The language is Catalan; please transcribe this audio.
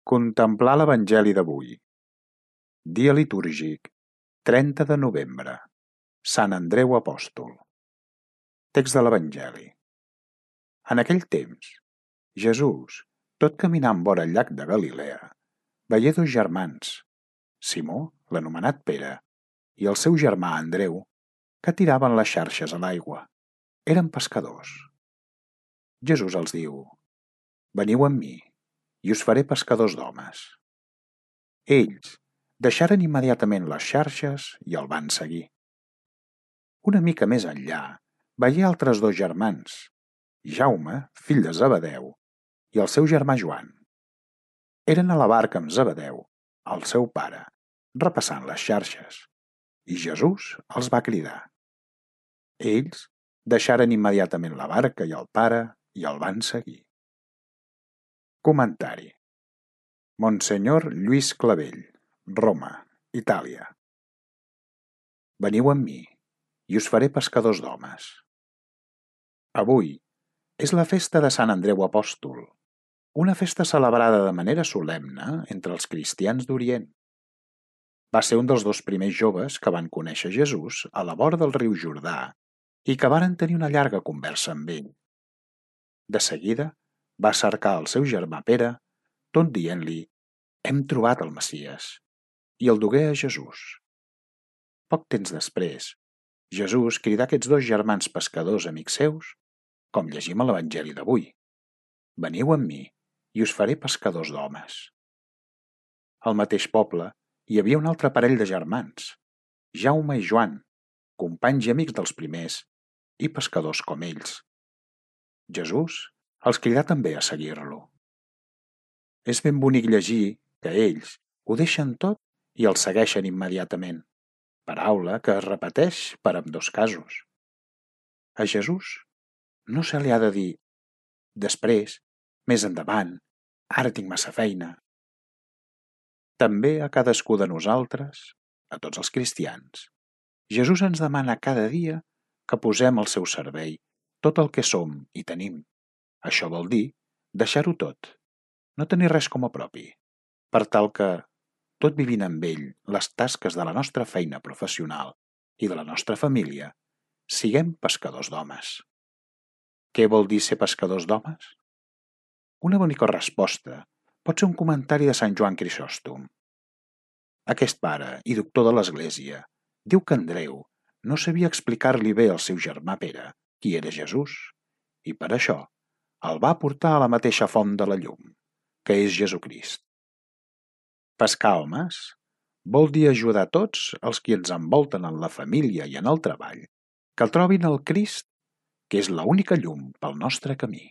Contemplar l'Evangeli d'avui. Dia litúrgic, 30 de novembre. Sant Andreu Apòstol. Text de l'Evangeli. En aquell temps, Jesús, tot caminant vora el llac de Galilea, veié dos germans, Simó, l'anomenat Pere, i el seu germà Andreu, que tiraven les xarxes a l'aigua. Eren pescadors. Jesús els diu: «Veniu amb mi, i us faré pescadors d'homes». Ells deixaren immediatament les xarxes i el van seguir. Una mica més enllà veié altres dos germans, Jaume, fill de Zebedeu, i el seu germà Joan. Eren a la barca amb Zebedeu, el seu pare, repassant les xarxes, i Jesús els va cridar. Ells deixaren immediatament la barca i el pare i el van seguir. Comentari. Monsenyor Lluís Clavell, Roma, Itàlia. Veniu amb mi, i us faré pescadors d'homes. Avui és la festa de Sant Andreu Apòstol, una festa celebrada de manera solemne entre els cristians d'Orient. Va ser un dels dos primers joves que van conèixer Jesús a la vora del riu Jordà i que varen tenir una llarga conversa amb ell. De seguida va cercar el seu germà Pere, tot dient-li: «Hem trobat el Messies», i el dugué a Jesús. Poc temps després, Jesús cridà aquests dos germans pescadors amics seus, com llegim a l'Evangeli d'avui: «Veniu amb mi, i us faré pescadors d'homes». Al mateix poble hi havia un altre parell de germans, Jaume i Joan, companys i amics dels primers i pescadors com ells. Jesús els cridà també a seguir-lo. És ben bonic llegir que ells ho deixen tot i el segueixen immediatament, paraula que es repeteix per ambdós casos. A Jesús no se li ha de dir «després», «més endavant», «ara tinc massa feina». També a cadascú de nosaltres, a tots els cristians, Jesús ens demana cada dia que posem al seu servei tot el que som i tenim. Això vol dir deixar-ho tot, no tenir res com a propi, per tal que, tot vivint amb ell les tasques de la nostra feina professional i de la nostra família, siguem pescadors d'homes. Què vol dir ser pescadors d'homes? Una bonica resposta pot ser un comentari de Sant Joan Crisòstom. Aquest pare i doctor de l'Església diu que Andreu no sabia explicar-li bé al seu germà Pere qui era Jesús, i per això el va portar a la mateixa font de la llum, que és Jesucrist. Pescar homes vol dir ajudar tots els qui ens envolten en la família i en el treball, que el trobin el Crist, que és l'única llum pel nostre camí.